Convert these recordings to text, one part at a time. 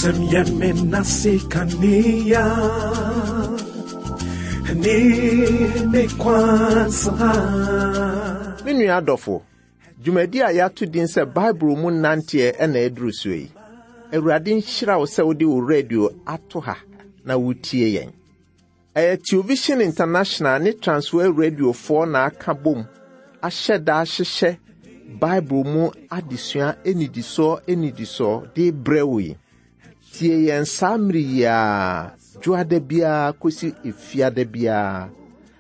Wasɛm yɛ me nase kanea ne me kwan so ha. Me nua adɔfo, dwumadi a yɛato din sɛ Bible mu nanteɛ na aduru soɔ yi. Awurade nhyira wo sɛ wode wo radio ato ha na wotie yɛn. Ɛyɛ Television International ne Transworld Radiofoɔ na aka bom ahyɛ da ahyehyɛ Bible mu adesua nnidisoɔ nnidisoɔ de brɛ wo yi. Tie yɛn saa mmere yi ara, dwoada biara kɔsi efiada biara,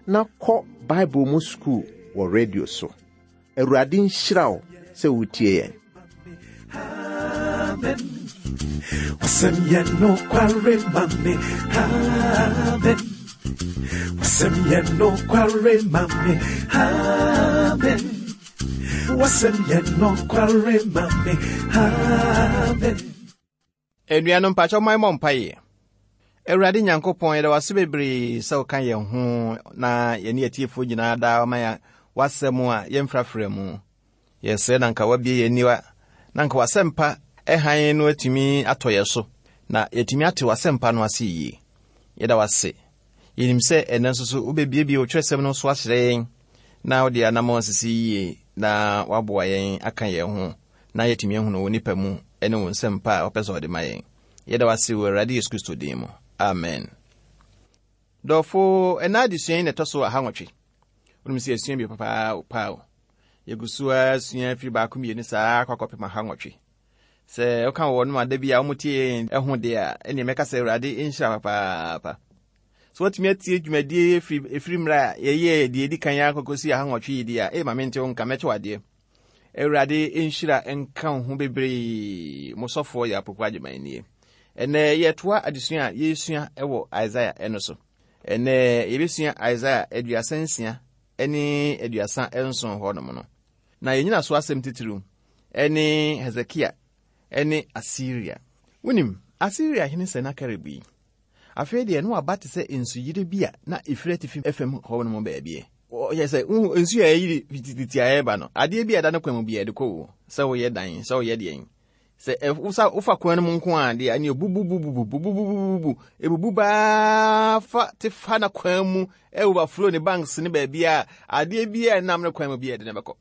na kɔ Bible mu sukuu wɔ radio so. Awurade nhyira wo sɛ wotie yɛn. Amen. Wasɛm yɛ nokware ma me. Amen. Wasɛm yɛ nokware ma me. Amen. Wasɛm yɛ nokware ma me. Amen. Anuanom mpakyɛw man mmɔ mpaeɛ. Awurade Nyankopɔn, yɛda wase bebree sɛ woka yɛn ho na yɛne atiefoɔ nyinaa daa wama yɛn w'asɛm a yɛmfrafra mu. Yɛsrɛ na nka wabie yɛn aniwa na nka w'asɛmpa hann no atumi atɔ yɛn so na yɛatumi ate w'asɛmpa no ase yie. Yɛda wase. Yɛnim sɛ ɛnnɛ nso so wobɛbiebie wo twerɛsɛm no so akyerɛ yɛn na wode anammɔn asisi yie na waboa yɛn aka yɛn ho na yɛatumi ahunu wo nipa mu ne wo nsɛmpa a wopɛ sɛ ɔde ma yɛn. Yɛda wo ase wɔ Awurade Yesu Kristo din mu. Amen. Dɔfo, ɛna adesua yi na ɛtɔ so ahanwɔtwe. Wonim sɛ yɛasua bi papa paa o. Yɛgu so ara sua firi baako mmienu saa akɔ akɔpem ahanwɔtwe. Sɛ woka wɔ wɔnom ada bi a wɔtie yɛn ho deɛ a, ɛneɛ mɛka sɛ Awurade nhyira papaapa. Sɛ woatumi atie dwumadie ɛfiri mmerɛ a yɛyɛɛ deɛ ɛdi kan akɔkɔsi ahanwɔtwe yi deɛ a, ee ma mente wo nka mɛkyɛ wo adeɛ. Awurade nhyira nka wo ho bebree. Mo sɔfoɔ yɛ Apoku Agyeman nie. Ɛnɛ yɛtoa adesua a yɛresua wɔ Isaiah ɛno so. Ɛnɛ yɛbɛsua Isaiah 36 ne 37 hɔnom no. Na yɛn nyinaso asɛm titiriw ne Hesekia ne Asiria. Wonim, Asiria hene Senakerib yi, Afei deɛ na waba te sɛ nsuyire bi a na ɛfiri atifi fam hɔ no mu baabi. Ɔyɛ sɛ wohu nsu a ɛyiri fitititi a ɛreba no, adeɛ bi a ɛda ne kwan mu biara ɛde kɔ o, sɛ woyɛ dan, sɛ woyɛ deɛn. Sɛ wosa wofa kwan no mu nko a deɛ ɛne bububububububububu ebubu baa fa te fa na kwan mu overflow ne banks ne baabi a adeɛ bi a ɛnam ne kwan mu bi a ɛde ne bɛkɔ.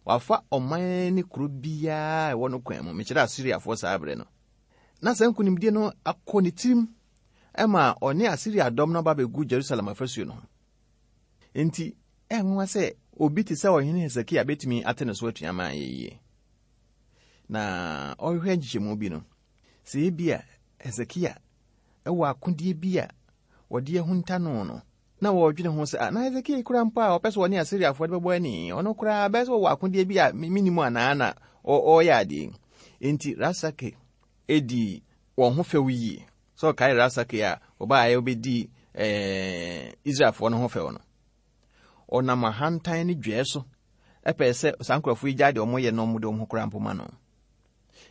Wafa ɔman ne kuro biara a ɛwɔ no kwan mu. Mekyerɛ Asiriafoɔ saa berɛ no. Na saa nkonimdie no akɔ ne tirim ma ɔne Asiria dɔm no aba bɛgu Jerusalem afasuo no ho. Enti, ɛnwanwa sɛ obi te sɛ ɔhene Hesekia bɛtumi ate ne so atua ma ayɛ yie. Na ɔhwehwɛ nkyekyɛmu bi no, sɛ ebia Hesekia wɔ akodeɛ bi a wɔde ahunta no no, na wɔredwene ho sɛ, ah, na Hesekia yi koraa mpo a ɔpɛ sɛ ɔne Asiriafoɔ de bɛbɔ ani, ɔno koraa bɛyɛ sɛ ɔwɔ akodeɛ bi a mennim anaa na ɔreyɛ adeɛ yi. Enti Rabsake dii wɔn ho fɛw yie. Sɛ ɔkae Rabsake a ɔbaeɛ ɔbɛdii eh, Israelfoɔ no ho fɛw no. Ɔnam ahantan ne dwɛɛ so ɛpɛɛ sɛ saa nkurɔfoɔ yi gyae deɛ wɔyɛ na wɔde wɔn ho koraa mpo ma no.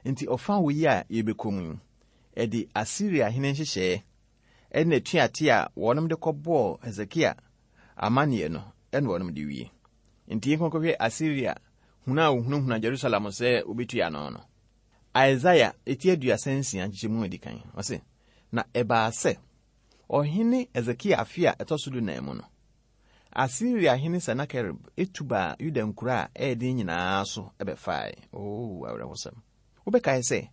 Enti ɔfa wɔ yi a yɛbɛkɔ mu yi, ɛde Asiria hene nhyehyɛeɛ ne atuateɛ a wɔnom de kɔbɔɔ Hesekia amanneɛ no na wɔnom de wie. Enti yɛnkɔ nkɔhwɛ Asiria hunu a wɔhunahuna Jerusalem sɛ wɔbɛtua ano no. Isaia eti 36 nkyekyɛmu a ɛdi kan, ɔse, Na ɛbaa sɛ, ɔhene Hesekia afe a ɛtɔ so dunan mu no, Asiria hene Senakerib tu baa Yuda nkuro a ɛyɛ den nyinaa so bɛfae. Oo, awerɛhosɛm! Wobɛkae sɛ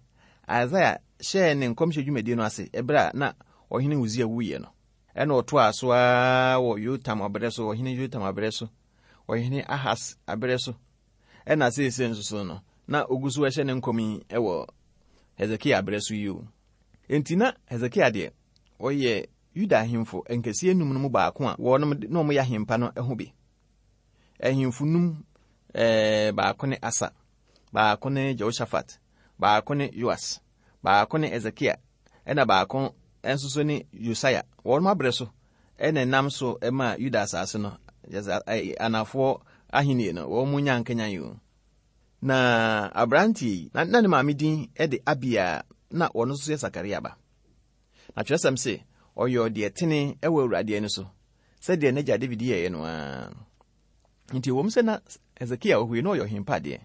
Isaia hyɛɛ ne nkɔmhyɛ dwumadi no ase bere a na Ɔhene Usia wuiɛ no. Ɛnna ɔtoaa so ara wɔ Yotam aberɛ so, Ɔhene Yotam aberɛ so, Ɔhene Ahas aberɛ so, ɛnna seesei nso so no, na ɔgu so hyɛ ne nkɔm yi wɔ Hesekia aberɛ so yi o. Enti na Hesekia deɛ, ɔyɛ Yuda ahemfo nkɛseɛ num no mu baako a wɔnom na wɔyɛ ahempa no ho bi. Ahemfo num, ɛɛ, baako ne Asa, baako ne Jehoshaphat, baako ne Yoas, baako ne Hesekia, ɛna baako nso so ne Yosia. Wɔn abrɛ so ɛna ɛnam so ma Yuda asase no, anafoɔ ahenni no, wɔn mu nya nkanyan yi. Na aberanteɛ yi, na ne maame din de Abia, na wɔn nso yɛ Sakaria ba. Na twerɛsɛm se, ɔyɔɔ deɛ tene wɔ Awurade ani so, sɛdeɛ n'agya David yɛeɛ no ara. Nti ɛwom sɛ na Hesekia wɔ hɔ yi na ɔyɛ ɔhempa deɛ,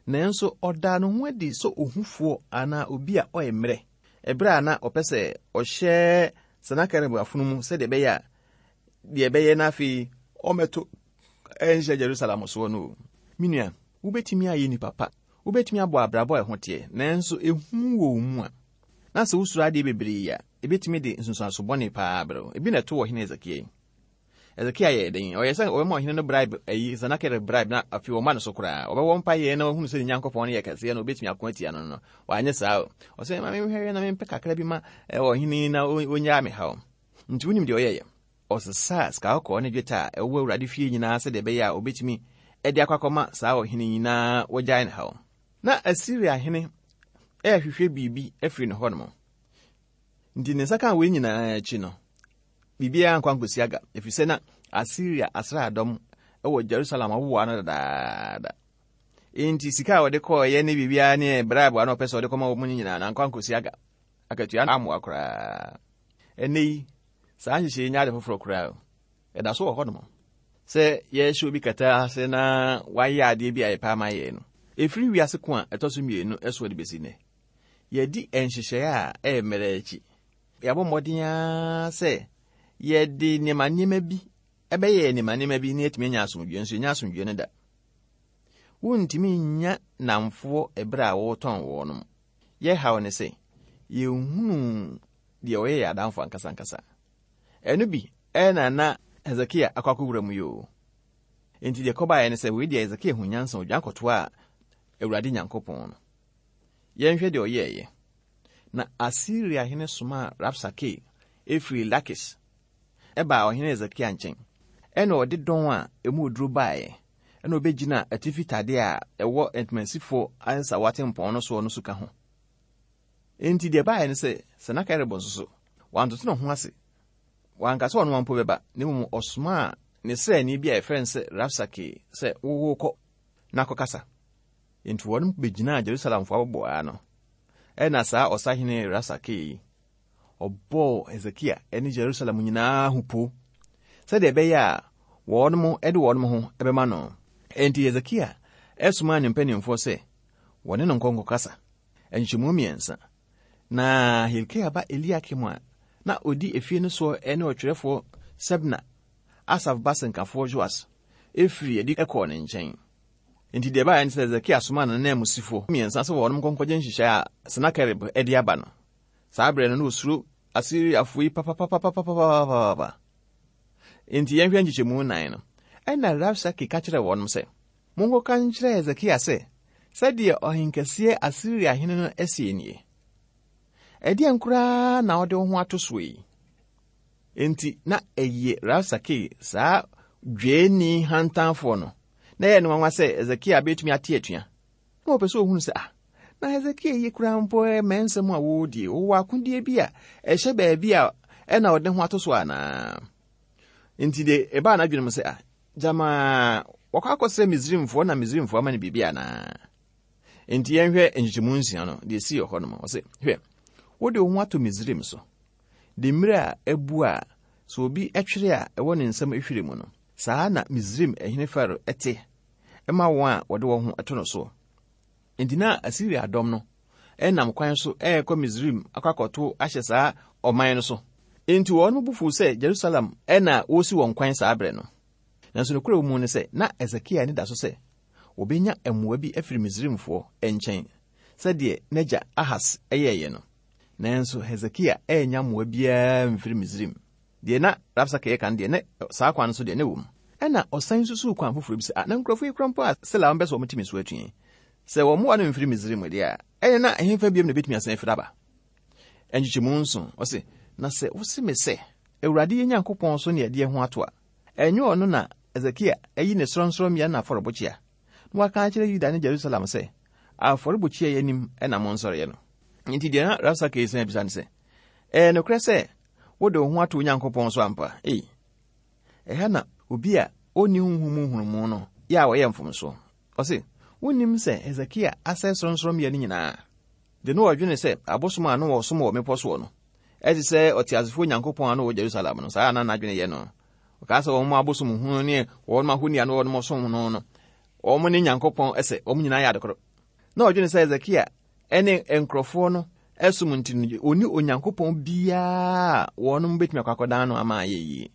nanso ɔdaa ne ho adi sɛ ohufoɔ anaa obi a ɔyɛ mmerɛ. Ɛberɛ a na ɔpɛ sɛ ɔhyɛ Senakerib afono mu sɛdeɛ ɛbɛyɛ a deɛ ɛbɛyɛ na afei ɔmmɛto ɛnhyɛ Jerusalem soɔ no o. Me nua, wobɛtumi ayɛ nipa pa, wobɛtumi abɔ abrabɔ a ɛho teɛ, nanso ehu wɔ wo mu a, na sɛ wosuro adeɛ bebree a, ebɛtumi de nsunsuanso bɔne paa abrɛ wo. Ebi na ɛto ɔhene Hesekia yi. Hesekia yɛɛ dɛn? Ɔyɛɛ sɛ ɔbɛma ɔhene no bribe, ayi, Senakerib bribe, na afei ɔma no so koraa. Ɔbɛwɔ mpaeɛ na wahunu sɛ ne Nyankopɔn no yɛ kɛseɛ na ɔbɛtumi ako atia no no. Wanyɛ saa o. Ɔsɛ ma menhwɛhwɛ na mempɛ kakra bi ma ɔhene yi na ɔnyaa me haw. Nti wonim deɛ ɔyɛeɛ? Ɔsesaa sika kɔkɔɔ ne dwetɛ a ɛwɔ Awurade fie nyinaa sɛdeɛ ɛbɛyɛ a ɔbɛtumi de akɔ akɔma saa ɔhene yi na wagyae ne haw. Na Asiria hene rehwehwɛ biribi afiri ne hɔnom. Nti ne nsa kaa wei nyinaa akyi no, biribiara ankɔ ankɔsi aga, ɛfiri sɛ na Asiria asraadɔm wɔ Jerusalem awowa no dadaada. Enti sika a wɔde kɔɔeɛ ne biribiara ne bribe a na ɔpɛ sɛ ɔde kɔma wɔn no nyinaa no ankɔ ankɔsi aga. Akatua no ammoa koraa. Ɛnnɛ yi, saa nhyehyɛe yi nyɛ ade foforɔ koraa o. Ɛda so wɔ hɔnom. Sɛ yɛhyɛ obi kɛtɛ ase na wayɛ adeɛ bi a yɛpɛ ama yɛn no, ɛfiri wiase ko a ɛtɔ so mmienu soɔ de bɛsi nnɛ, yɛadi nhyehyɛe a ɛyɛ mmerɛ akyi. Yɛabɔ mmɔden ara sɛ yɛde nneɛma nneɛma bi ɛbɛyɛ nneɛma nneɛma bi na yɛatumi anya asomdwoeɛ nso yɛnya asomdwoeɛ no da. Wontumi nnya nnamfoɔ ɛberɛ a wɔretɔn wɔnom. Yɛn haw ne sɛ yɛnhunuu deɛ ɔyɛ yɛn adamfo ankasa ankasa. Ɛno bi na na Hesekia akɔ akɔwura mu yi o. Enti deɛ ɛkɔbaeɛ ne sɛ wei deɛ Hesekia hu nyansa odwan kɔtoaa Awurade Nyankopɔn no. Yɛnhwɛ deɛ ɔyɛeɛ. Na Asiria hene somaa Rabsake firii Lakis baa ɔhene Hesekia nkyɛn. Ɛna ɔde dɔn a emu oduro baeɛ, ɛna ɔbɛgyinaa atifi tadeɛ a ɛwɔ ntomansifoɔ nsawa tempɔn no soɔ no suka ho. Enti deɛ ɛbaeɛ ne sɛ, Senakerib nso so, wantoto ne ho ase. Wanka sɛ ɔno ara mpo bɛba, na mmom ɔsomaa ne sraani bi a yɛfrɛ no sɛ Rabsake sɛ, Wo kɔ na kɔkasa. Enti wɔn bɛgyinaa Jerusalemfoɔ aboboaa ano. Ɛnna saa ɔsahene Rabsake yi, ɔbɔɔ Hesekia ne Jerusalem nyinaa ho po sɛdeɛ ɛbɛyɛ a wɔn de wɔn ho bɛma no. Enti Hesekia somaa ne mpanimfoɔ sɛ wɔne no nkɔ nkɔkasa nkyɛmu mmiɛnsa. Na Hilkia ba Eliakim a na ɔdi efie no soɔ ne ɔtwerɛfoɔ Sebna, Asaf ba sɛnkafoɔ Joas, firii adi kɔɔ ne nkyɛn. Enti deɛ ɛbaeɛ ne sɛ Hesekia somaa n'ananmusifoɔ mmiɛnsa sɛ wɔn nkɔnkɔgye nhyehyɛe a Senakerib de aba no. Saa berɛ no, na ɔsuro Asiriafoɔ yi papapapapapapapa. Enti yɛnhwɛ nkyekyɛmu nnan no. Ɛnna Rabsake ka kyerɛɛ wɔn sɛ, Monkɔka nkyerɛ Hesekia sɛ, 'Sɛdeɛ ɔhenkɛseɛ Asiria hene no seɛ nie, Ɛdeɛn koraa na wode wo ho ato soɔ yi? Enti na ɛyɛ Rabsake, saa dweeni hantanfoɔ no, na ɛyɛ no nwanwa sɛ Hesekia bɛtumi ate atua. Na ɔpɛ sɛ ɔhunu sɛ, ah, na Hesekia yi koraa mpo mɛ nsɛm a wɔredie, ɔwɔ akodeɛ bi a ɛhyɛ baabi a ɛna ɔde ho ato so anaa? Nti de ɛbaa n'adwene mu sɛ, ah, gyama wɔkɔ akɔsrɛ Misraimfoɔ na Misraimfoɔ ama no biribi anaa? Nti yɛnhwɛ nkyekyɛmu nsia no, deɛ ɛsii wɔ hɔ nom. Ɔse, hwɛ, wode wo ho ato Misraim so, de mmerɛ a abu a sɛ obi twere a ɛwɔ ne nsam hwere mu no, saa na Misraim hene Farao te ma wɔn a wɔde wɔn ho to no soɔ. Enti na Asiria dɔm no nam kwan so rekɔ Misraim akɔ akɔto ahyɛ saa ɔman no so. Enti wɔn bo fuw sɛ Jerusalem na wɔresi wɔn kwan saa berɛ no. Nanso nokorɛ wɔ mu ne sɛ, na Hesekia ani da so sɛ wɔbɛnya mmoa bi afiri Misraimfoɔ nkyɛn sɛdeɛ n'agya Ahas yɛeɛ no. Nanso Hesekia annya mmoa biara amfiri Misraim. Deɛ na Rabsake reka no deɛ, na saa kwan no so deɛ, na ɛwom. Ɛnna ɔsan susuu kwan foforɔ bi sɛ, Ah, na nkurɔfoɔ yi kora mpo a Sela wɔmpɛ sɛ wɔte me so atua yi, sɛ wɔn mmoa no mfiri Misraim deɛ a, ɛnneɛ na ɛhefa biom na ɛbɛtumi asan afiri aba? Nkyekyɛmu nson, ɔse, Na sɛ wose me sɛ, Awurade yɛn Nyankopɔn so ne yɛde yɛn ho ato a, ɛnyɛ ɔno na Hesekia ayi ne sorɔnsorɔmmea ne n'afɔrebukyia, na waka akyerɛ Yuda ne Jerusalem sɛ, Afɔrebukyia yi anim na monsɔreɛ no? Enti deɛ na Rabsake resan abisa ne sɛ, Ɛyɛ nokorɛ sɛ wode wo ho ato Onyankopɔn so ampa? Ei, ɛha na obi a onni honhom mu nhunumu no yɛ a ɔyɛ mfomso. Ɔse, Wonnim sɛ Hesekia asɛe sorɔnsorɔmmea no nyinaa? De no ɔdwene sɛ abosom a na wɔsom wɔ mmepɔ soɔ no te sɛ ɔteasefoɔ Nyankopɔn a na ɔwɔ Jerusalem no. Saa na n'adwene yɛ no. Ɔkaa sɛ wɔn abosom hunu ne wɔn ahoni a na wɔn som no no, wɔn ne Nyankopɔn sɛ, wɔn nyinaa yɛ adekoro. Na ɔdwene sɛ Hesekia ne nkurɔfoɔ no som nti no, ɔni Onyankopɔn biara a wɔnom bɛtumi akɔ akɔdan no ama ayɛ yie.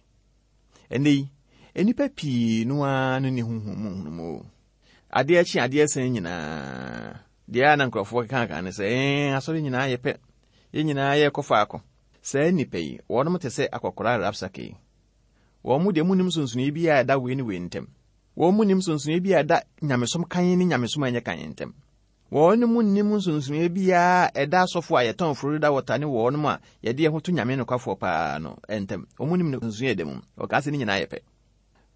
Ɛnnɛ yi, nnipa pii no ara no nni honhom mu nhunumu. Adeɛ kye adeɛ sɛn nyinaa, deɛ a na nkurɔfoɔ keka ne sɛ, ɛɛ, asɔre nyinaa yɛ pɛ, yɛn nyinaa yɛkɔ faako. Saa nnipa yi, wɔnom te sɛ akɔkoraa Rabsake yi. Wɔn mu deɛ munnim nsonsonoeɛ biara a ɛda wei ne wei ntam. Wɔn mu nnim nsonsonoeɛ biara a ɛda nyamesom kann ne nyamesom a ɛnyɛ kann ntam. Wɔn mu nnim nsonsonoeɛ biara a ɛda asɔfo a yɛtɔn Florida water ne wɔn a yɛde yɛn ho to Nyame nokwafoɔ paa no ntam. Wɔn nnim nsonsonoeɛ a ɛda mu. Wɔkaa sɛ ne nyinaa yɛ pɛ.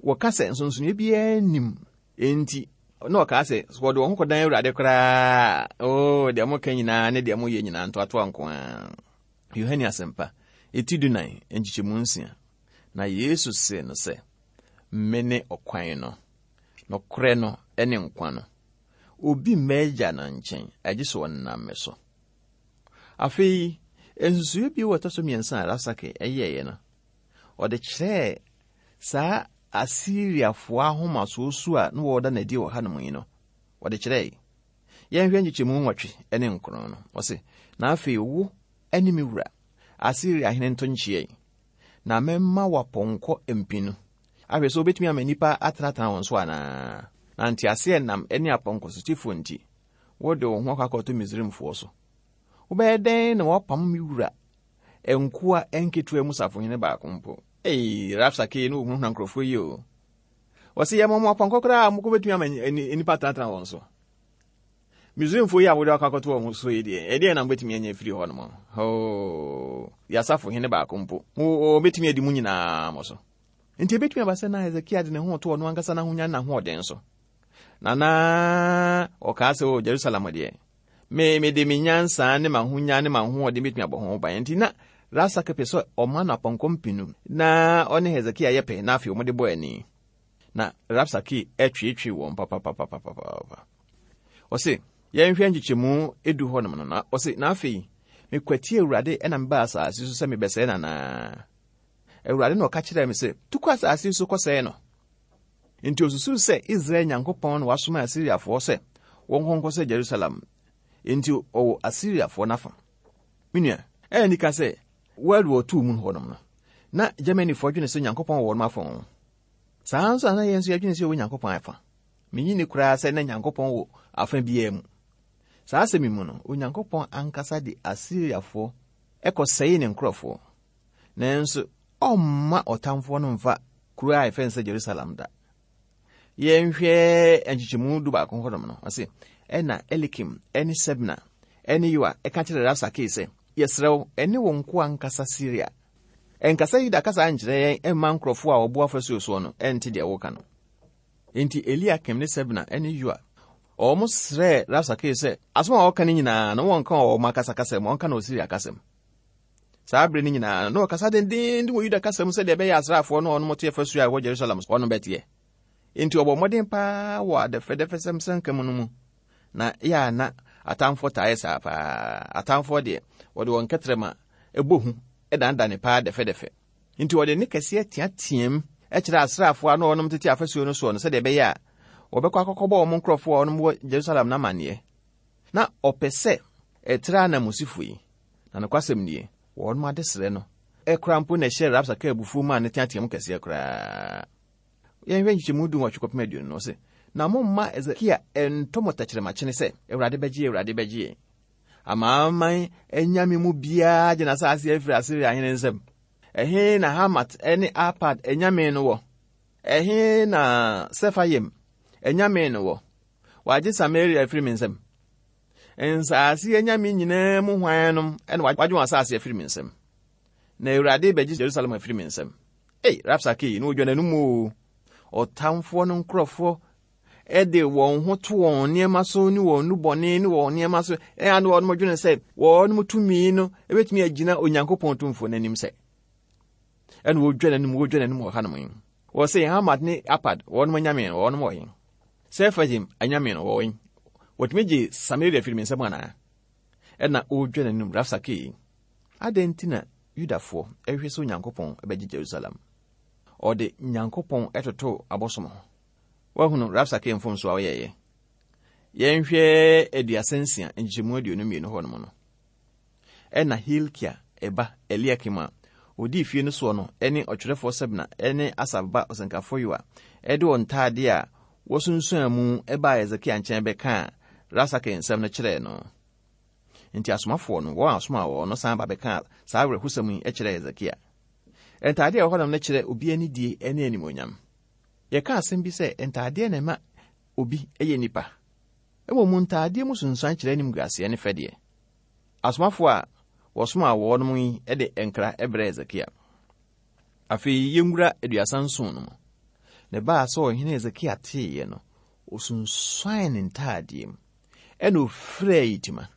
Wɔka sɛ nsonsonoeɛ biara nnim. Enti, na wɔkaa sɛ, sɛ wɔde wɔn ho kɔdan Awurade koraa a, oo, deɛ moka nyinaa ne deɛ moyɛ nyinaa ntoatoa nko ara. Yohane Asɛmpa, eti dunan, nkyekyɛmu nsia. Na Yesu see no sɛ, Mene ɔkwan no, nokorɛ no ne nkwa no. Obi mma Agya no nkyɛn, agye sɛ ɔnam me so. Afei, nsusuiɛ bio a ɛtɔ so mmiɛnsa a Rabsake yɛeɛ no, ɔde kyerɛɛ saa Asiriafoɔ ahomasoɔ su a na wɔreda no adi wɔ hanom yi no, ɔde kyerɛe. Yɛnhwɛ nkyekyɛmu nwɔtwe ne nkron no. Ɔse, Na afei wo ne me wura, Asiria hene nto nkyea yi, na mɛma wo apɔnkɔ mpenu. Ahwɛ sɛ wobɛtumi ama nnipa atenatena wɔn so anaa. Na nteaseɛnam ne apɔnkɔsotefoɔ nti, wode wo ho akɔ akɔto Misraimfoɔ so. Wobɛyɛ dɛn na woapam me wura nkoa nketewa mu safohene baako mpo? Ei, Rabsake ne ohunahuna nkurɔfoɔ yi o. Wɔse yɛma mo apɔnkɔ koraa a mokɔ bɛtumi ama nnipa atenatena wɔn so. Misraimfoɔ yi a wode akɔ akɔto wɔn so yi deɛ, ɛdeɛn na mobɛtumi anya afiri hɔ nom? Hoo, yɛasafo hene baako mpo, wɔbɛtumi adi mo nyinaa mo so. Nti ɛbɛtumi aba sɛ na Hesekia de ne ho to ɔno ankasa n'ahonya ne n'ahoɔden so. Na na ɔkaa sɛ, o Jerusalem deɛ, me mede me nyansa ne m'ahonya ne m'ahoɔden bɛtumi abɔ ho ban. Nti na Rabsake pɛ sɛ ɔma no apɔnkɔ mpenu na ɔne Hesekia yɛ pɛ na afei wɔde bɔ ani. Na Rabsake tweetwee wɔn papapapapapa. Ɔse, yɛnhwɛ nkyekyɛmu edu hɔnom no, na ɔse, na afei mekwati Awurade na mebaa asase so sɛ mebɛsɛe no anaa? Awurade na ɔka kyerɛɛ me sɛ, tu kɔ asase so kɔsɛe no. Enti osusuw sɛ Israel Nyankopɔn na wasoma Asiriafoɔ sɛ wɔnkɔ nkɔsɛe Jerusalem. Enti ɔwɔ Asiriafoɔ n'afa. Me nua, ɛyɛ anika sɛ World War II mu hɔnom no, na Germanyfoɔ dwene sɛ Nyankopɔn wɔ wɔn afa. Saa ara nso na na yɛn nso yɛdwene sɛ yɛwɔ Nyankopɔn afa. Minnye nni koraa sɛ na Nyankopɔn wɔ afa biara mu. Saa asɛm yi mu no, Onyankopɔn ankasa de Asiriafoɔ kɔsɛee ne nkurɔfoɔ. Nanso ɔmma ɔtamfoɔ no mfa kuro a yɛfrɛ no sɛ Jerusalem da. Yɛnhwɛ nkyekyɛmu du baako hɔnom no, ɔse, ɛna Elikim ne Sebna ne Yoa ɛka kyerɛ Rabsake sɛ, Yɛsrɛ wo, ɛne wo nkoa nkasa Siria. Ɛnkasa Yuda kasa nkyerɛ yɛn mma nkurɔfoɔ a wɔbo afasuo soɔ no nte deɛ woka no. Enti Eliakim ne Sebna ne Yoa, wɔn srɛɛ Rabsake sɛ asɛm a ɔka no nyinaa no wɔnka wɔ wɔn ankasa kasa mu, ɔnka no wɔ Siria kasa mu. Saa bere no nyinaa no, na ɔkasa denneennen wɔ Yuda kasa mu sɛdeɛ ɛbɛyɛ asraafoɔ no a wɔn te afasuo a ɛwɔ Jerusalem hɔ no bɛteɛ. Enti ɔbɔ mmɔden paa wɔ adɛfɛdɛfɛsɛm sɛnka mu no mu. Na yɛ a na atamfoɔ taa yɛ saa paa. Atamfoɔ deɛ, wɔde wɔn kɛtrɛma bɔ hu danedane paa dɛfɛdɛfɛ. Enti wɔde nne kɛseɛ teateaam kyerɛɛ asraafoɔ a na wɔnom tete afasuo no soɔ no sɛdeɛ ɛbɛyɛ a wɔbɛkɔ akɔkɔbɔ wɔn nkurɔfoɔ a wɔnom wɔ Jerusalem no amanneɛ. Na ɔpɛ sɛ ɛtra ananmusifo yi. Na nokwasɛm nie, wɔnom adesrɛ no koraa mpo na ɛhyɛɛ Rabsake abufuo maa no teateaam kɛseɛ koraa. Yɛnhwɛ nkyekyɛmu dunwɔtwe kɔpem aduonu no, ɔse, Na momma Hesekia nto mo tɛkyerɛmakyene sɛ, Awurade bɛgye yɛn, Awurade bɛgye yɛn. Amanaman anyame mu biara gye n'asase afiri Asiria hene nsam. Ɛhe na Hamat ne Arpad anyame no wɔ? Ɛhe na Sefayim anyame no wɔ? Wɔagye Samaria afiri me nsam. Nsase anyame nyinaa mu hwannom na wɔagye wɔn asase afiri me nsam? Na Awurade bɛgye Jerusalem afiri me nsam. Ei, Rabsake yi, na odwa n'anom o. Ɔtamfoɔ no nkurɔfoɔ de wɔn ho to wɔn nneɛma so ne wɔn nnubɔne ne wɔn nneɛma so. Ɛyɛ na wɔn dwene sɛ wɔn tumi no ebetumi agyina Onyankopɔn tumfoɔ no anim sɛ. Ɛna wɔdwa n'anim, wɔdwa n'anim wɔ hanom yi. Wɔsɛ Hamad ne Apad, wɔn anyame no, wɔn wɔ he? Sefajim anyame no, wɔwɔ he? Wɔtumi gye Samaria firi me nsam anaa? Ɛna ɔredwa n'anim, Rabsake yi. Adɛn nti na Yudafoɔ hwehwɛ sɛ Onyankopɔn bɛgye Jerusalem? Ɔde Nyankopɔn totoo abosom ho. Woahunu Rabsake mfomso a ɔyɛeɛ? Yɛnhwɛ 36 nkyekyɛmu 22 hɔ nom no. Ɛnna Hilkia ba Eliakim a ɔdi fie no soɔ no ne ɔtwerɛfoɔ Sebna ne Asaf ba ɔsɛnkafoɔ Yoa de wɔn ntaadeɛ a wɔsunsuan mu baa Hesekia nkyɛn bɛkaa Rabsake nsɛm no kyerɛɛ no. Enti asomafoɔ no, wɔn a ɔsomaa wɔn no san ba bɛkaa saa awerɛhosɛm yi kyerɛɛ Hesekia. Ntaadeɛ a ɛwɔ hɔnom no kyerɛ obi anidie ne animuonyam. Yɛka asɛm bi sɛ ntaadeɛ na ɛma obi yɛ nipa. Mmom ntaadeɛ mu sunsuan kyerɛ animguaseɛ ne fɛdeɛ. Asomafoɔ a wɔsomaa wɔnom yi de nkra brɛɛ Hesekia. Afei yɛnwura 37 no mu. Na ɛbaa sɛ ɔhene Hesekia teeɛ no, ɔsunsuan ne ntaadeɛ mu, ɛna ɔfiraa yitima,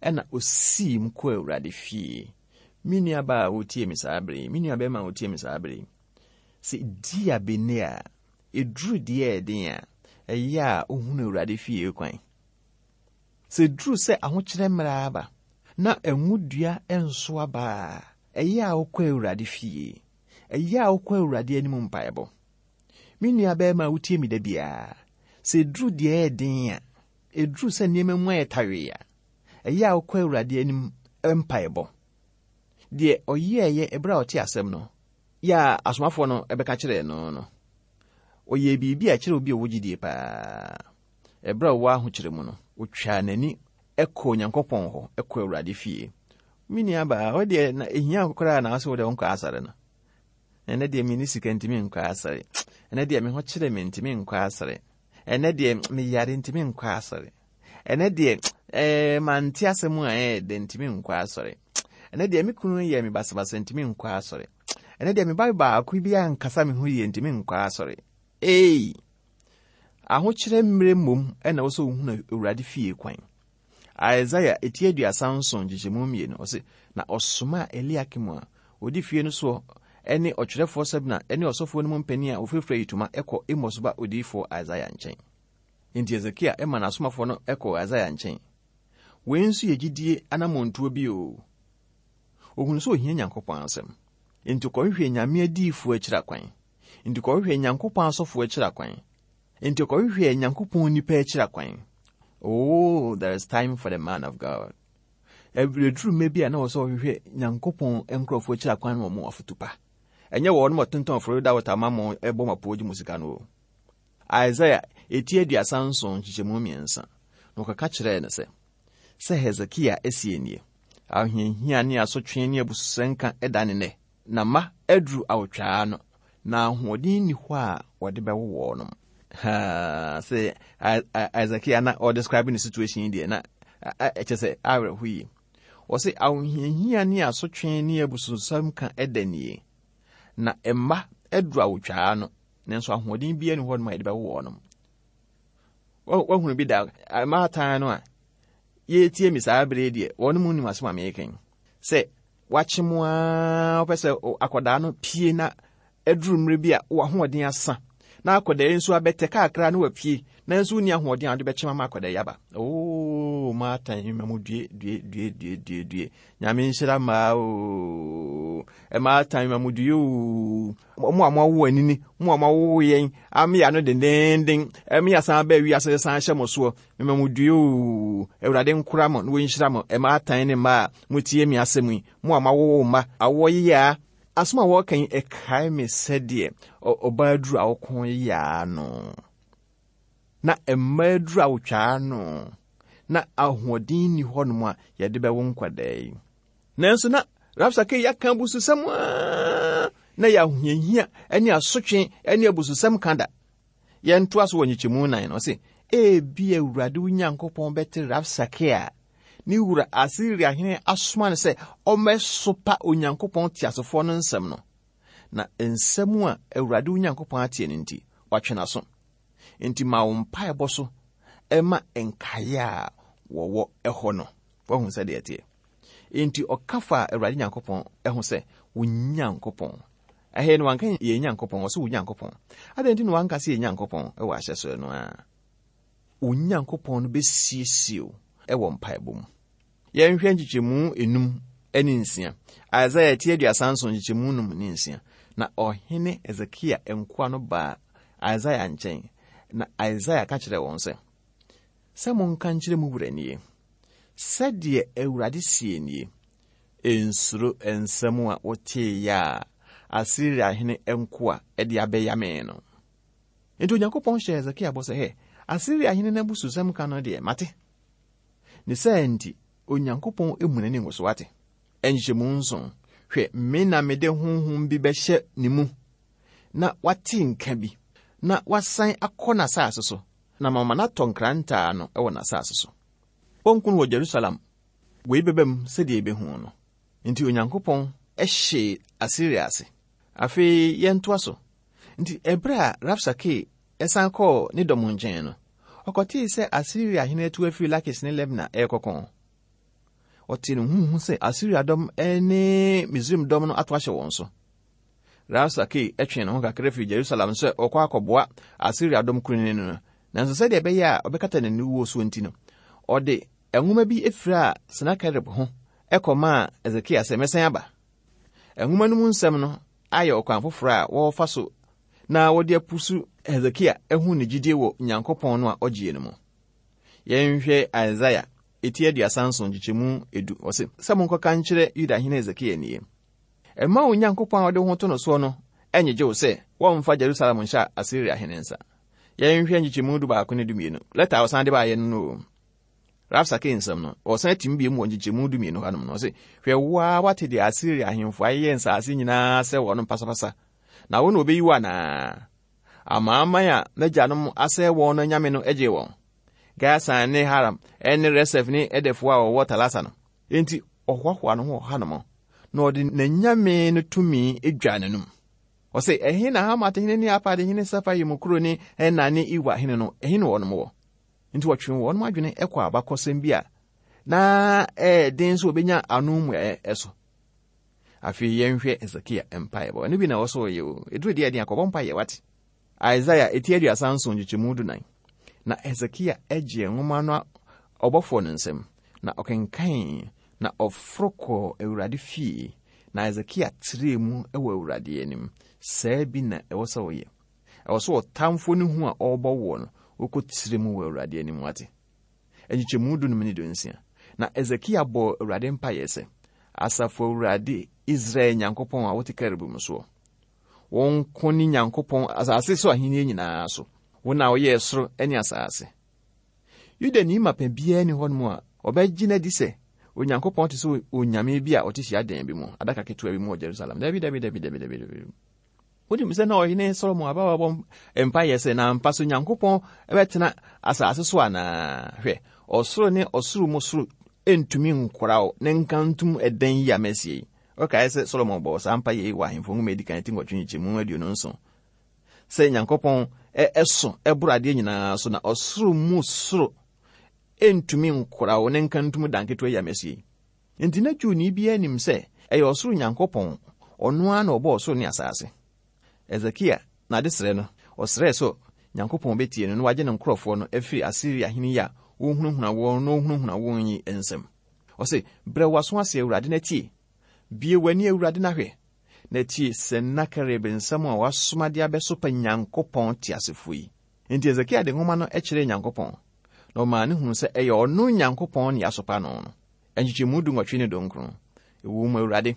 ɛna ɔsii mu kɔɔ Awurade fie. Me nuabaa a wotie me saa bere yi, me nuabɛrima a wotie me saa bere yi, sɛ di abene a, ɛduru deɛ ɛden a, ɛyɛ a wohunu Awurade fie kwan. Sɛ ɛduru sɛ ahokyerɛ mmerɛ aba, na ngo dua nso aba a, ɛyɛ a wokɔ Awurade fie. Ɛyɛ a wokɔ Awurade anim mpaebɔ. Me nua barima a wotie me da biara, sɛ ɛduru deɛ ɛyɛ den a, ɛduru sɛ nneɛma mu ayɛ tawee a, ɛyɛ a wokɔ Awurade anim mpaebɔ. Deɛ ɔyɛɛyɛ ɛberɛ a ɔte asɛm no, yɛ a asomafoɔ no bɛka kyerɛɛ no no, ɔyɛɛ biribi a ɛkyerɛ obi a ɔwɔ gyidie paa. Ɛberɛ a ɔwɔ ahokyerɛ mu no, ɔtwaa n'ani kɔɔ Onyankopɔn hɔ, kɔɔ Awurade fie. Me nuabaa, wo deɛ na ɛhia wo koraa na wo sɛ wo deɛ wonkɔ asɔre no. Ɛnɛ deɛ menni sika nti menkɔ asɔre. Ɛnɛ deɛ me ho kyerɛ me nti menkɔ asɔre. Ɛnɛ deɛ meyare nti menkɔ asɔre. Ɛnɛ deɛ ɛɛ mante asɛm a ɛyɛ dɛ nti menkɔ asɔre. Ɛnɛ deɛ me kunu yɛ me basabasa nti menkɔ asɔre. Ɛnɛ deɛ me ba baako bi ankasa me ho yie nti menkɔ asɔre. Ei! Ahokyerɛ mmerɛ mmom na ɛwɔ sɛ wohunu Awurade fie kwan. Isaiah eti 37 nkyekyɛmu 2, ɔse, Na ɔsomaa Eliakim a ɔdi fie no soɔ ne ɔtwerɛfoɔ Sebna ne ɔsɔfoɔ no mu mpanin a wɔfirafira ayitoma kɔ Amos ba odiyifoɔ Isaiah nkyɛn. Enti Hesekia ma n'asomafoɔ no kɔɔ Isaiah nkyɛn. Wei nso yɛ gyidie anammɔntuo bi o. Ɔhunu sɛ ɔhia Nyankopɔn asɛm. Enti ɔkɔhwehwɛɛ Nyame adiyifoɔ akyiri akwan. Enti kɔhwehwɛ Nyankopɔn asɔfoɔ akyiri akwan. Enti kɔhwehwɛ Nyankopɔn nipa akyiri akwan. Oh, there is time for the man of God. Ɛduru mmerɛ bi a na wɔ sɛ ɔhwehwɛ Nyankopɔn nkurɔfoɔ akyiri akwan ma wɔn afotu pa. Ɛnyɛ wɔn ma tontɔn Florida water ma mo ɛbɔ ma po gye mo sika no o. Isaiah eti 37 nkyekyɛmu 3 na ɔkɔka kyerɛɛ no sɛ, sɛ Hesekia asie nie, ahohiahia ne asotwe ne abususɛnka da ne nnɛ. Na mma aduru awotwaa ano, na ahoɔden nni hɔ a wɔde bɛwo wɔnom. Haa, sɛ Isakia na ɔdescribe ne situation yi deɛ na ɛkyɛ sɛ awerɛho yie. Ɔse ahohiahia ne asotwe ne abususɛm ka ɛda nie. Na mma aduru awotwaa ano, nanso ahoɔden biara nni hɔ nom a yɛde bɛwo wɔnom. Wahunu bi da mmaatan no a yɛretie me saa bere deɛ wɔn mu nim asɛm a meka yi sɛ Wakye mo ara wopɛ sɛ akwadaa no pie na aduru mmerɛ bi a w'ahoɔden asa na akwadaa yi nso abɛtɛ kakra na wapue nanso wonni ahoɔden a wode bɛkyem ama akwadaa yi aba. Oo maatan ma mo due due due due due due. Nyame nhyira mmaa oo. Maatan ma mo due oo. Mo a moawo anini, mo a moawo yɛn ame ano dendenden, ɛme asan aba wiase san hyɛ mo soɔ. Mema mo due oo, Awurade nkora mo na wɔnhyira mo, mmaatan ne mmaa a motie me asɛm yi, mo a moawowo mma, awoɔ yeyaa. Asɛm a wɔreka yi, ɛkae me sɛdeɛ ɔbaa duru awoko yeyaa no, na mmaa duru awotwaa no, na ahoɔden nni hɔnom a yɛde bɛwo nkwadaa yi. Nanso na Rabsake yi aka abususɛm a na yɛ ahohiahia ne asotwe ne abususɛm ka da. Yɛntoa so wɔ nkyekyɛmu nan no, ɔse, Ebia Awurade wo Nyankopɔn bɛte Rabsake a ne wura Asiria hene asoma no sɛ ɔmmɛsopa Onyankopɔn teasefoɔ no nsɛm no. Na nsɛm a Awurade wo Nyankopɔn ateɛ no nti, watwe n'aso. Enti ma wo mpaebɔ so ma nkaeɛ a wɔwɔ hɔ no. Wahu sɛdeɛ ɛteɛ. Enti ɔka faa Awurade Nyankopɔn ho sɛ, Wo Nyankopɔn. Ɛhe no wanka yɛn Nyankopɔn, ɔsɛ wo Nyankopɔn. Adɛn nti na wanka sɛ yɛn Nyankopɔn wɔ ahyɛsoɛ no a? Wo Nyankopɔn no bɛsiesie wo wɔ mpaebɔ mu. Yɛnhwɛ nkyekyɛmu enum ne nsia. Isaiah ti 37 nkyekyɛmu num ne nsia. Na ɔhene Hesekia nkoa no baa Isaiah nkyɛn, na Isaiah ka kyerɛɛ wɔn sɛ, Sɛ monka nkyerɛ mo wura nie, Sɛdeɛ Awurade seɛ nie, Nsuro nsɛm a woteeɛ a Asiria hene nkoa de abɛyame no. Enti Onyankopɔn hyɛɛ Hesekia bɔ sɛ, Hɛ, Asiria hene no abususɛm ka no deɛ, mate. Ne saa nti, Onyankopɔn mmu n'ani ngu so, wate? Nhyɛmu nson, Hwɛ, me na mede honhom bi bɛhyɛ ne mu, na wate nka bi, na wasan akɔ n'asase so, na mama no atɔ nkrantɛ ano wɔ n'asase so. Wɔnku no wɔ Jerusalem. Wei bɛba mu sɛdeɛ yɛbɛhu no. Enti Onyankopɔn hyee Asiria ase. Afei yɛntoa so. Enti ɛberɛ a Rabsake san kɔɔ ne dɔm nkyɛn no, ɔkɔtee sɛ Asiria hene atu afiri Lakis ne Lebna rekɔko. Ɔtee no huhu sɛ Asiria dɔm ne Misraim dɔm no ato ahyɛ wɔn so. Rabsake twee ne ho kakra firi Jerusalem sɛ ɔkɔ akɔboa Asiria dɔm kunini no, nanso sɛdeɛ ɛbɛyɛ a ɔbɛkata n'aniwuo soɔ nti no, ɔde nwoma bi firaa Senakerib ho kɔmaa Hesekia sɛ, Mɛsan aba. Nwoma no mu nsɛm no ayɛ ɔkwan foforɔ a wɔfa so na wɔde apusu Hesekia ahu ne gyidie wɔ Nyankopɔn no a ɔgyeɛ no mu. Yɛnhwɛ Isaia eti 37 nkyekyɛmu edu, ɔse, Sɛ monkɔka nkyerɛ Yuda hene Hesekia nie, Mma wo Nyankopɔn a wode wo ho to no soɔ no nnyegye wo sɛ wɔmfa Jerusalem nhyɛ Asiria hene nsa. Yɛnhwɛ nkyekyɛmu dubaako ne dumienu, lɛta a ɔsan de baeɛ no no o. Rabsake nsɛm no, ɔsan tim bio mu wɔ nkyekyɛmu dumienu hanom no, ɔse, Hwɛ, wo ara woate deɛ Asiria ahemfo ayeyɛ nsase nyinaa sɛ wɔn pasapasa, na wo na wɔbɛyi wo anaa? Amanaman a m'agyanom asɛe wɔn no anyame no gyee wɔn, Gasan ne Haram ne Resef ne Edefoɔ a wɔwɔ Talasa no. Enti ɔhoahoa ne ho wɔ hanom, na ɔde n'anyame no tumi dwaa n'anom. Ɔse, Ɛhe na Hamat hene ne Arpad hene Safaim kuro ne Hena ne Iwa hene no, ɛhe na wɔnom wɔ? Enti wɔtwee wɔn adwene kɔɔ abakɔsɛm bi a na ɛyɛ den sɛ wɔbɛnya ano mmuaeɛ so. Afei yɛnhwɛ Hesekia mpaebɔ. Ɛno bi na ɛwɔ sɛ ɔyɛ o. Ɛduru deɛ ɛden akɔbɔ mpaeɛ wate. Isaia eti 37 nkyekyɛmu dunan. Na Hesekia gyee nwoma no ɔbɔfoɔ no nsam, na ɔkenkanee, na ɔforo kɔɔ Awurade fie, na Hesekia trɛɛ mu wɔ Awurade anim. Saa bi na ɛwɔ sɛ ɔyɛ. Ɛwɔ sɛ ɔtamfoɔ no hu a ɔrebɔ woɔ no, wokɔtrɛ mu wɔ Awurade anim wate. Nkyekyɛmu dunum ne dunsia. Na Hesekia bɔɔ Awurade mpaeɛ sɛ, Asafo Awurade, Israel Nyankopɔn a wote kerubim soɔ, Wo nko ne Nyankopɔn asase so ahenni nyinaa so. Wo na woyɛɛ soro ne asase. Yudani mapa biara nni hɔnom a ɔbɛgye no adi sɛ Onyankopɔn te sɛ onyame bi a ɔte hyiadan bi mu, adaka ketewa bi mu wɔ Jerusalem. Dabi, dabi, dabi, dabi, dabi, dabi. Wonim sɛ na ɔhene Solomon aba wabɔ mpaeɛ sɛ na ampa so Nyankopɔn bɛtena asase so anaa? Hwɛ, ɔsoro ne ɔsoro mu soro ntumi nkora wo ne nkantom ɛdan yi a masie yi. Wokae sɛ Solomon bɔɔ saa mpaeɛ yi wɔ Ahemfo Nwoma a Edi Kan ti nwɔtwe nkyɛmu 27 sɛ Nyankopɔn ɛso ɛboro adeɛ nyinaa so na ɔsoro mu soro ntumi nkora wo ne nkantom dan ketewa yi a masie yi. Enti na Jewni biara nim sɛ ɛyɛ ɔsoro Nyankopɔn, ɔno ara na ɔbɔɔ ɔsoro ne asase. Hesekia n'adesrɛ no, ɔsrɛɛ sɛ Nyankopɔn betie no na wagye ne nkurɔfoɔ no afiri Asiria hene yi a ɔrehunahuna wɔn na ɔhunahuna wɔn yi nsam. Ɔse, Brɛ w'aso ase, Awurade, na tie. Bue w'ani, Awurade, na hwɛ, na tie Senakerib nsɛm a wasoma de abɛsopa Nyankopɔn teasefoɔ yi. Enti Hesekia de nwoma no kyerɛɛ Nyankopɔn, na ɔmaa no hunuu sɛ ɛyɛ ɔno Nyankopɔn na yɛasopa no no. Nkyekyɛmu dunwɔtwe ne dunkron. Ɛwom, Awurade,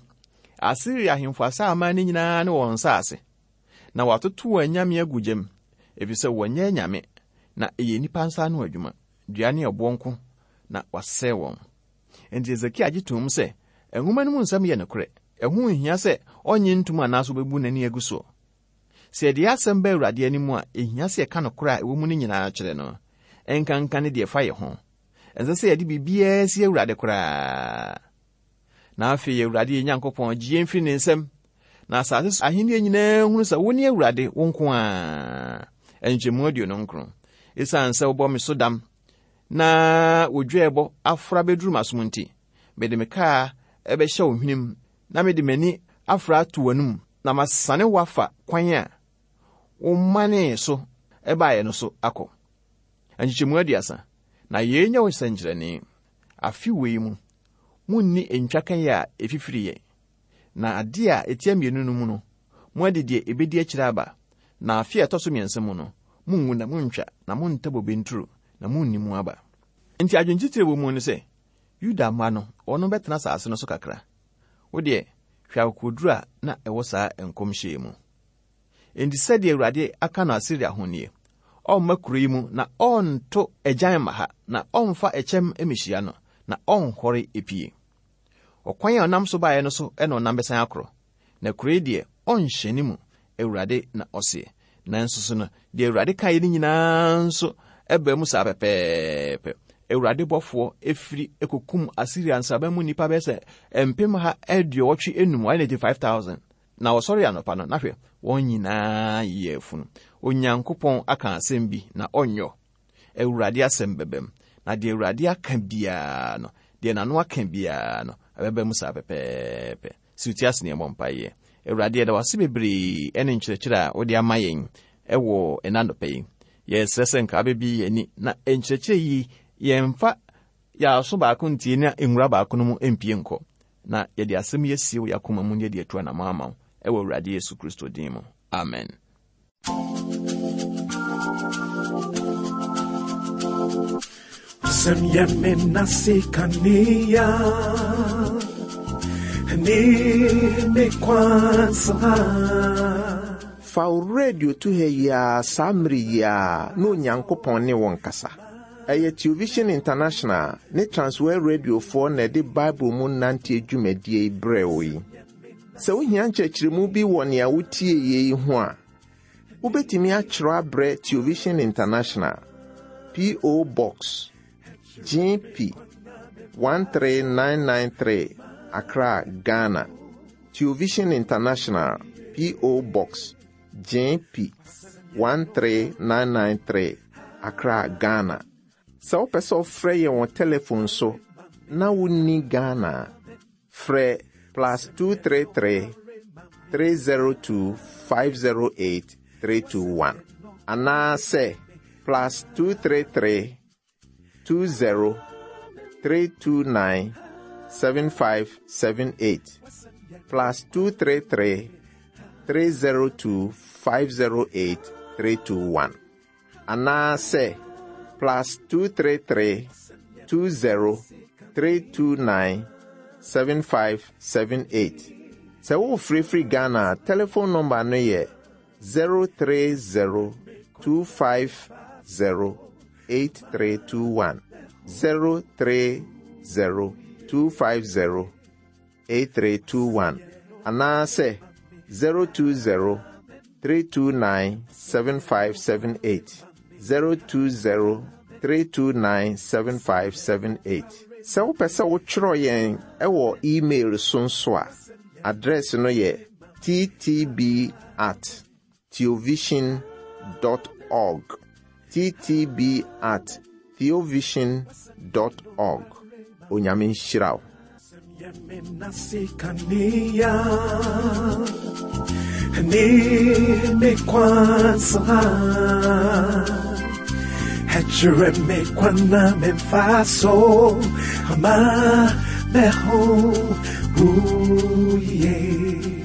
Asiria ahemfo asa aman no nyinaa ne wɔn nsase, na wɔatoto wɔn anyame agu gyam, efisɛ wɔnyɛ anyame, na ɛyɛ nnipa nsa ano adwuma, dua ne ɛboɔ nko na wɔasɛe wɔn. Enti Hesekia gye toom sɛ nwoma no mu nsɛm yɛ nokorɛ, ɛho nhia sɛ ɔnnye ntom anaasɛ obebu n'ani agu soɔ. Sɛ yɛde yɛn asɛm ba Awurade anim a, ehia sɛ yɛka nokorɛ a ɛwɔ mu no nyinaa kyerɛ no, ɛnkanka ne deɛ ɛfa yɛn ho. Ɛnsɛ sɛ yɛde biribiara sie Awurade koraa. Na afei, Awurade yɛn Nyankopɔn, gye yɛn firi ne nsam, na asase so ahenni nyinaa hunu sɛ wone Awurade, wo nko ara. Nkyɛmu 29. Esiane sɛ wobɔ me so dam na wo dwɛɛbɔ afora bɛduru m'asom nti, mede me kaa bɛhyɛ wo hwenem na mede m'ani afora ato w'anom, na masane wo afa kwan a womanee so baeɛ no so akɔ. Nkyekyɛmu 30. Na yei nyɛ wo sɛnkyerɛnne, afe wei mu, monni ntwakaeɛ a ɛfifiriiɛ, na adeɛ a ɛtia mmienu no mu no, moadi deɛ ɛbɛdi akyire aba, na afe a ɛtɔ so mmiɛnsa mu no, monngu na monntwa, na monntɛ bobe nturo, na monni mu aba. Enti adwene titire wɔ mu ne sɛ, Yuda mma no, wɔn bɛtena asase no so kakra. Wo deɛ, hwɛ akokoduru a na ɛwɔ saa nkɔmhyɛ yi mu. Enti sɛdeɛ Awurade aka no Asiria ho nie, Ɔremma kuro yi mu, na ɔrento agyan mma ha, na ɔremfa ɛkyɛm mmɛhyia no, na ɔrenhɔre epie. Ɔkwan a ɔnam so baeɛ no so na ɔnam bɛsan akorɔ, na kuro yi deɛ, ɔrenhyɛne mu, Awurade na ɔseɛ. Nanso so no, deɛ Awurade kaeɛ no nyinaa nso baa mu saa pɛpɛɛpɛ. Awurade bɔfoɔ firi kɔkum Asiria nsraban mu nnipa bɛyɛ sɛ mpem ha aduɔwɔtwe enum, 185,000. Na wɔsɔree anɔpa no, na hwɛ, wɔn nyinaa yeyɛ afunu. Onyankopɔn aka asɛm bi, na ɔnyɔ. Awurade asɛm bɛbam. Na deɛ Awurade aka biara no, deɛ n'ano aka biara no, ɛbɛba mu saa pɛpɛɛpɛ. Si wo ti ase na yɛmmɔ mpaeɛ. Awurade, yɛda wo ase bebree ne nkyerɛkyerɛ a wode ama yɛn wɔ ɛna anɔpa yi. Yɛsrɛ sɛ nka wobɛbie yɛn ani na nkyerɛkyerɛ yi yɛmfa yɛn aso baako ntie na nwura baako no mu mpie nkɔ. Na yɛde asɛm yi asie wɔ yɛn akoma mu na yɛde atu anammɔn ama wo wɔ Awurade Yesu Kristo din mu. Amen. Sɛm yɛ me nase kanea ne me kwan saa. Fa wo radio to ha yi ara saa mmere yi ara na Onyankopɔn ne wo nkasa. Ɛyɛ Television International ne Transworld Radiofoɔ na ɛde Bible mu nanteɛ dwumadie yi brɛɛ wo yi. Sɛ wohia nkyerɛkyerɛmu bi wɔ nea wotie yi ho a, wobɛtumi akyerɛw abrɛ Television International, P.O. Box, GP 13993, Accra, Ghana. Television International, P.O. Box, GP 13993, Accra, Ghana. Sɛ wopɛ sɛ ɔfrɛ yɛn wɔ telefon so na wonni Ghana a, frɛ plus 233 302 508 321 anaasɛ plus 233 20 329 7578 plus 233 302 508 321 anaasɛ plus 233 20 329 7578. Sɛ wofirifiri Ghana a, telephone number no yɛ 030 250 8321. 030 250 8321 anaasɛ 020 329 7578. 020 329 7578. Sɛ wopɛ sɛ wotwerɛ yɛn wɔ email so nso a, address no yɛ ttb at theovision dot org. ttb at theovision dot org. Onyame nhyira wo. Ne me kwansa Ɛkyerɛ me kwan na memfa so ama me ho wo yie.